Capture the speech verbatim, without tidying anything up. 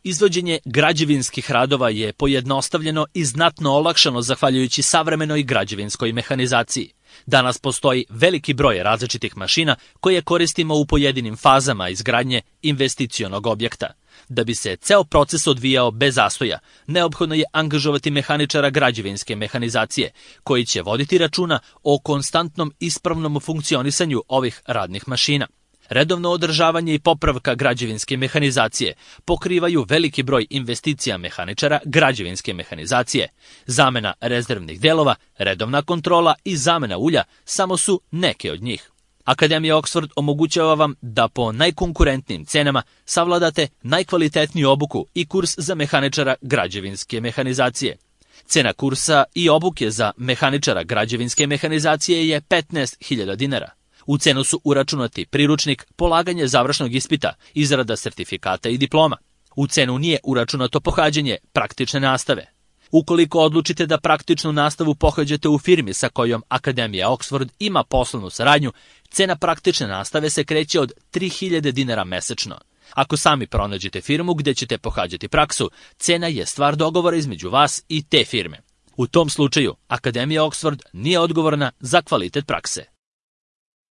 Izvođenje građevinskih radova je pojednostavljeno i znatno olakšano zahvaljujući savremenoj građevinskoj mehanizaciji. Danas postoji veliki broj različitih mašina koje koristimo u pojedinim fazama izgradnje investicionog objekta. Da bi se ceo proces odvijao bez zastoja, neophodno je angažovati mehaničara građevinske mehanizacije, koji će voditi računa o konstantnom ispravnom funkcionisanju ovih radnih mašina. Redovno održavanje i popravka građevinske mehanizacije pokrivaju veliki broj investicija mehaničara građevinske mehanizacije. Zamena rezervnih delova, redovna kontrola i zamena ulja samo su neke od njih. Akademija Oxford omogućava vam da po najkonkurentnijim cenama savladate najkvalitetniju obuku i kurs za mehaničara građevinske mehanizacije. Cena kursa i obuke za mehaničara građevinske mehanizacije je petnaest hiljada dinara. U cenu su uračunati priručnik, polaganje završnog ispita, izrada sertifikata i diploma. U cenu nije uračunato pohađanje praktične nastave. Ukoliko odlučite da praktičnu nastavu pohađate u firmi sa kojom Akademija Oxford ima poslovnu saradnju, cena praktične nastave se kreće od tri hiljade dinara mesečno. Ako sami pronađete firmu gde ćete pohađati praksu, cena je stvar dogovora između vas i te firme. U tom slučaju, Akademija Oxford nije odgovorna za kvalitet prakse.